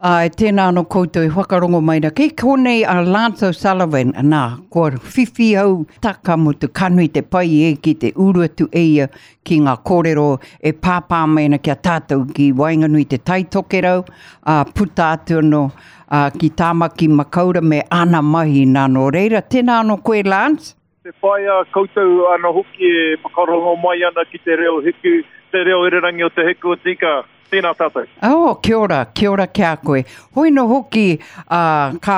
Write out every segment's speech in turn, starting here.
Āe, tēnā anō koutou e whakarongo mai rā. Kei konei a Lance O'Sullivan, nā, kua whiwhi au taka mutu, ka nui te pai e ki te uru atu e ia ki ngā kōrero e pāpā mai ana ki a tātou ki waenganui i te Tai Tokerau, ā, puta atu anō ā, ki Tāmaki Makaura me āna mahi nā. Nō reira, tēnā anō koe Lance. Te pai a koutou ano hoki e whakarongo mai ana ki te reo hiku, te reo irirangi o Te Hiku o Te Ika. Tēnā tātou. Oh, kia ora, kia ora ki a koe. Hoi no hoki, ā, ka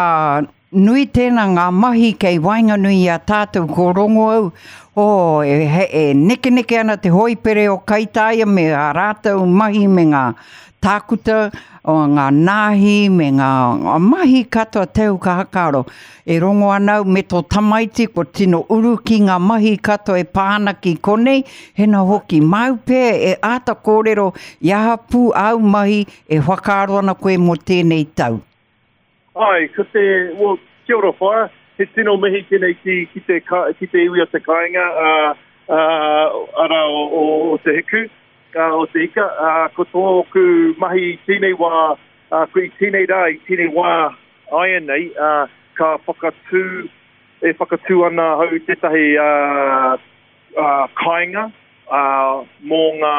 nui tēnā ngā mahi kei waenganui i a tātou ko rongo au, oh, e, he, e nekeneke ana te hoipere o Kaitaia me ā rātou mahi me ngā tākuta, o ngā nāhi me ngā mahi katoa te au ka hakaaro. E rongo ana au me tō tamaiti kua tino uru ki ngā mahi katoa e pā ana ki konei, hena hoki, māu pea e āta kōrero i aha pū āu mahi e whakaaro ana koe mō tēnei tau. Āe, ko te, well, kia ora whaea, he tino mihi tēnei ki, ki te, ki te iwi o te kāinga, ā, ā, arā o, o, o Te Hiku, ā, o Te Ika, ā, ko tōku mahi i tēnei wā, ā, ko i tēnei rā, i tēnei wā, Āianei, ā, ka whakatū, e whakatū ana ahau i tētahi, ā, ā, kāinga, ā, mō ngā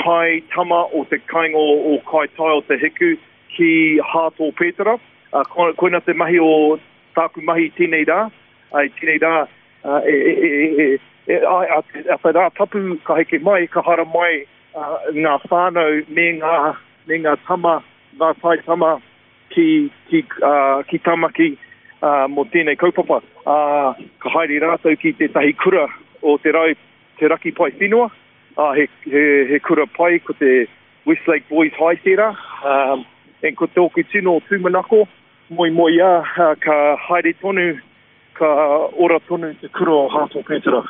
tai tama o te kāinga o, o Kaitai o Te Hiku ki Hāto Pētera. Ā, ko, koina te mahi o tāku mahi i tēnei rā, ā, i tēnei rā, ā, e, e, e, e, e, a, a, te, a te rā tapu ka heke mai, ka haramai, ā, ngā whānau me ngā, me ngā tama ngā taitama ki, ki, uh, ki Tamaki uh, mō tēnei kaupapa. Uh, ka haere rātou ki tētahi kura o te, rau, te raki pai whenua. Uh, he, he, he kura pai ko te Westlake Boys High tērā. Um, and ko tōku tino tūmanako, moemoeā, uh, ka haere tonu, ka ora tonu te kura o Hato Pētera.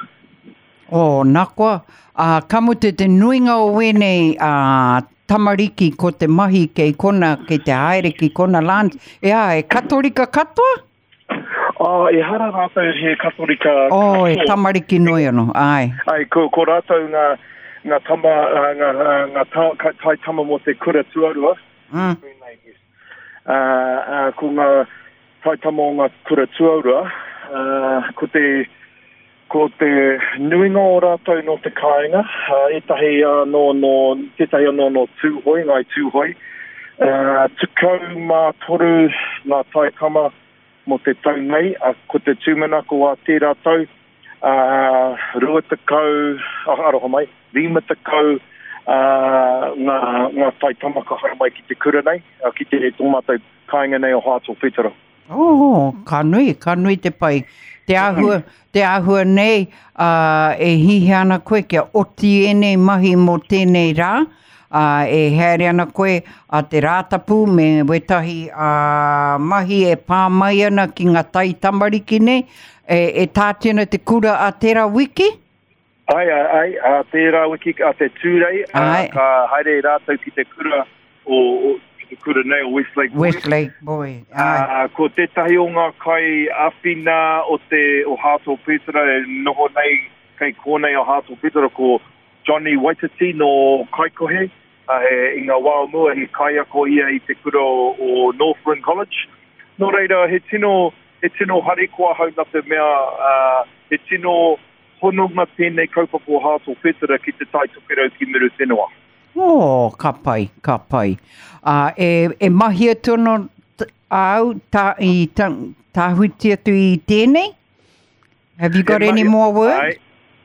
Oh, nā koa, ā, ka mutu te nuinga o wēnei ā, tamariki ko te mahi kei kona, kei te haere ki kona Lance, e ā, e Katorika katoa? Oh, ehara rātou he Katorika Oh, e tamariki noi ano, āe. Ai, ko, ko rātou ngā, ngā tama, ngā, ngā ta, tai tama mō te kura tuarua. Mm. Ā, ā, ko ngā tai tama o ngā kura tuarua, ā, ko te, Ko te nuinga o rātou nō te kāinga, ētahi anō nō, tētahi anō nō Tūhoe, Ngāi Tūhoe. 13 ngā taitama mō te tau nei, ko te tūmanako a tērā tau, 20, aroha mai, 50 ngā, ngā taitama ka haere mai ki te kura nei, ki te, tō mātou kāinga nei o Hāto Whetara. Oh, ka nui, ka nui te pai. Te āhua, te āhua nei, uh, e hihia ana koe kia oti ēnei mahi mō tēnei rā, uh, e haere ana koe a te Rātapu me wētahi uh, mahi e pā mai ana ki ngā tai tamariki nei, e, e tāti ana te kura a tērā wiki? Ai, ai, ai, a tērā wiki, a te Tūrei, a, ka haere rātou ki te kura o, o ki te kura nei o Westlake Boys. Westlake Boy, ai. A, ko tētahi o ngā kai āwhina o te o Hāto Pētera e noho nei kei kōnei o Hāto Pētera ko Johnny Waititi nō Kaikohe. A, he, i ngā wā o mua he kaiako ia i te kura o, o Northland College. Nō reira, he tino, he tino harikoa ahau nā te mea, uh, he tino hononga tēnei kaupapa o Hāto Whetera ki Te Tai Tokerau ki Muriwhenua. Oh, ka pai, ka pai. Uh, e, e mahi atu ana āu tā, i tā, tāhuiti atu i tēnei? Have you got e any more work? Ai,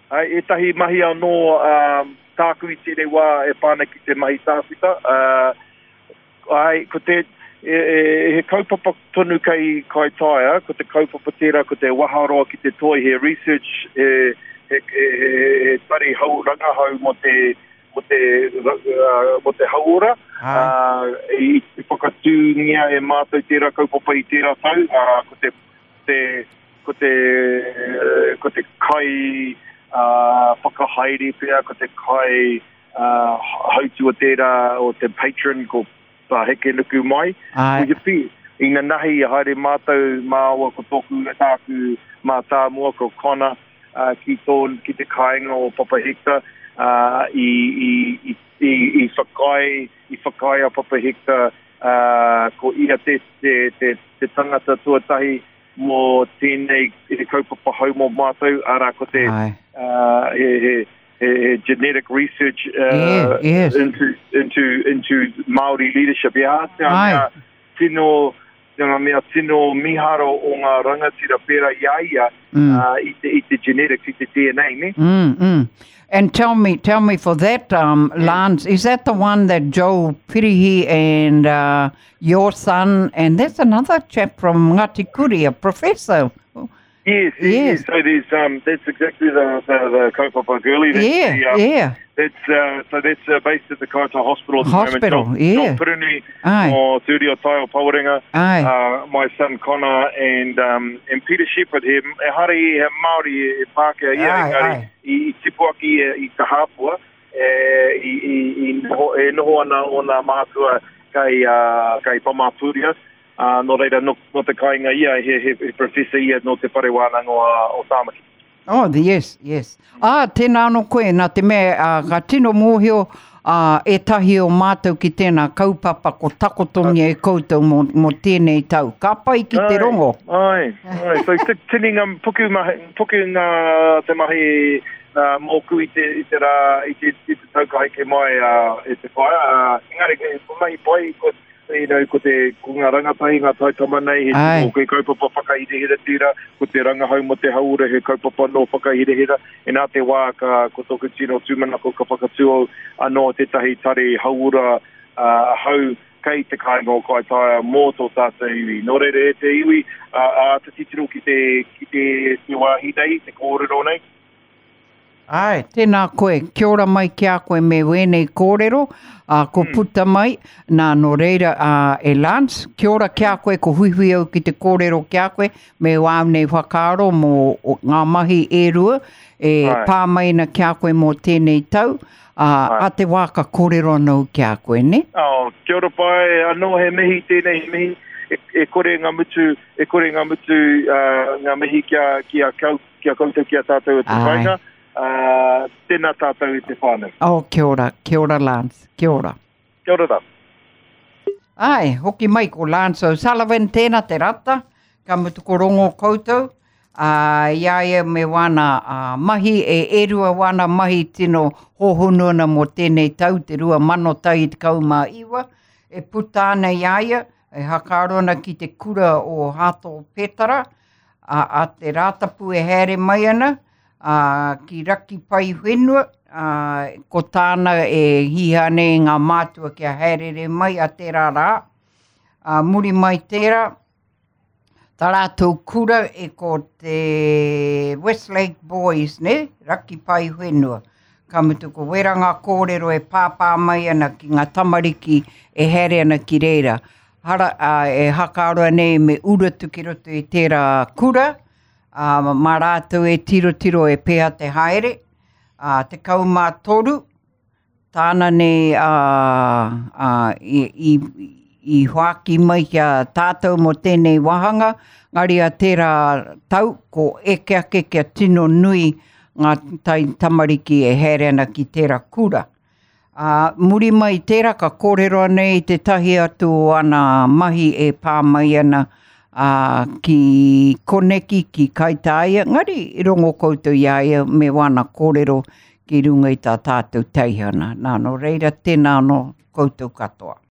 ai, ētahi mahi anō um, tāku i tēnei wā e pā ana ki te mahi tākuta. Uh, Āe, ko te, e, e, he kaupapa tonu kei Kaitaia, ko te kaupapa tērā, ko te waharoa ki te toi, he research, he, he, he, he, he tari hau, rangahau mō te, mō te, uh, mō te hauora. Uh, i whakatūngia e mātou tērā kaupapa i tērā tau, uh, ko te, te, ko te, ko te kai uh, whakahaere pea, ko te kai hautū o tērā o te patron ko tā Hekenukumai. Āe. Puhipi. Inanahi i haere mātou māua ko tōku tāku mātāmua ko Connor ki tō ki te kāinga o Papa Hector i i i i i whakaae i whakaae a Papa Hector. uh, ko ia te, te, te, te tangata tuatahi mō tēnei kaupapa hou mō mātou, arā ko te uh, he, he, he, he genetic research uh, yeah, yes. into, into, into Māori leadership. Yeah, te mea tino, te mea tino miharo o ngā rangatira pērā i a ia mm. uh, i, te, i te genetics, i te DNA, ne? Mm, mm. And tell me, tell me for that, um, Lance, is that the one that Joe Pirihi and uh, your son, and there's another chap from Ngāti Kuri, a professor. Yes, yes. So there's um, that's exactly the the, the kaupapa girlie. That's yeah, the, um, yeah. That's uh, so that's uh, based at the Kaitaia Hospital at the Hospital, moment. yeah. John Piruni, o Te Uri o Tai o Pawarenga, uh, my son Connor and um, and Peter Shepherd he, e hare i he Māori e Pākehā ia, engari i, i tipu ake ia i Te Hāpua, e, i, i, i noho, e noho ana ōna mātua kei, uh, kei Pamāpūria, uh, nō reira, nō, nō te kāinga ia, he, he, he professor ia nō te whare wānanga o, o Tāmaki. Oh, yes, yes. Ah, tēnā anō koe, nā te mea, uh, ka tino mōhio uh, ētahi o mātou ki tēnā kaupapa ko takotongia e koutou mō, mō tēnei tau. Ka pai ki te rongo. Ai, ai. So, tini ngā, puku, mahi, puku ngā te mahi uh, mōku i te, i te rā, i te, i te tau ka heke mai uh, e te whaea. Uh, engari, ko mahi pai, ko, you know, ko te, ko ngā rangatahi, ngā taitama nei, he tino, he kaupapa whakahirahira tērā, ko te rangahau mō te hauora, he kaupapa anō whakahirahira. Inā te wā, ka, ko tōku tino tūmanako ka whakatū au anō tētahi tari hauora uh, hau kei te kāinga o Kaitaia mō tō tātou iwi. Nō reira e te iwi, uh, āta titiro ki te, ki te, te wāhi nei, te kōrero nei. Āe, tēnā koe, kia ora mai ki a koe me wēnei kōrero, ā, ko mm. puta mai, nā, nō reira, ā, e Lance, kia ora ki a koe, ko huihui au ki te kōrero ki a koe, me wāu nei whakaaro mō ngā mahi e rua, e Ai. pā mai ana ki a koe mō tēnei tau, ā, a te wā ka kōrero anō ki a koe, ne? Oh, kia ora pai, anō he mihi tēnei, he mihi, e, e kore ngā mutu, e kore ngā mutu, uh, ngā mihi ki a, ki a kau, Ki a koutou, ki a tātou e te kāinga, ā, tēnā tātou e te whānau. Oh, kia ora, kia ora Lance, kia ora. Kia ora rā. Āe, hoki mai ko Lance O'Sullivan tēnā te rata, ka mutu ko rongo koutou, ā, i a ia me wāna ā, mahi, e, e rua wāna mahi tino hōhonu ana mō tēnei tau, te 2019, e puta ana i a ia, e hakaaro ana ki te kura o Hato Petara, a, a te Rātapu e haere mai ana, a, ki Raki Pai Whenua, a, ko tāna e hiha nei ngā mātua kia haerere mai a tērā rā. A, muri mai tērā, tā rātou kura e ko te Westlake Boys, ne? Raki Pai Whenua. Ka mutu ko wera ngā kōrero e pāpā mai ana ki ngā tamariki e haere ana ki reira. Hara, ā, e hakaroa nei me uru atu ki roto i tērā kura, ā, mā rātou e tirotiro e pēhea te haere, ā, 13, tāna nei, ā, ā, i, i, i hoaki mai ki a tātou mō tēnei wāhanga, ngari a tērā tau, ko eke ake kia tino nui ngā tai tamariki e haere ana ki tērā kura. Ā, muri mai i tērā ka kōrero anei i tētahi atu o ana mahi e pā mai ana ā, ki koneki, ki Kaitāia, engari i rongo koutou i a ia me wāna kōrero ki runga i tā tātou teihana. Nā, nō reira, tēnā anō koutou katoa.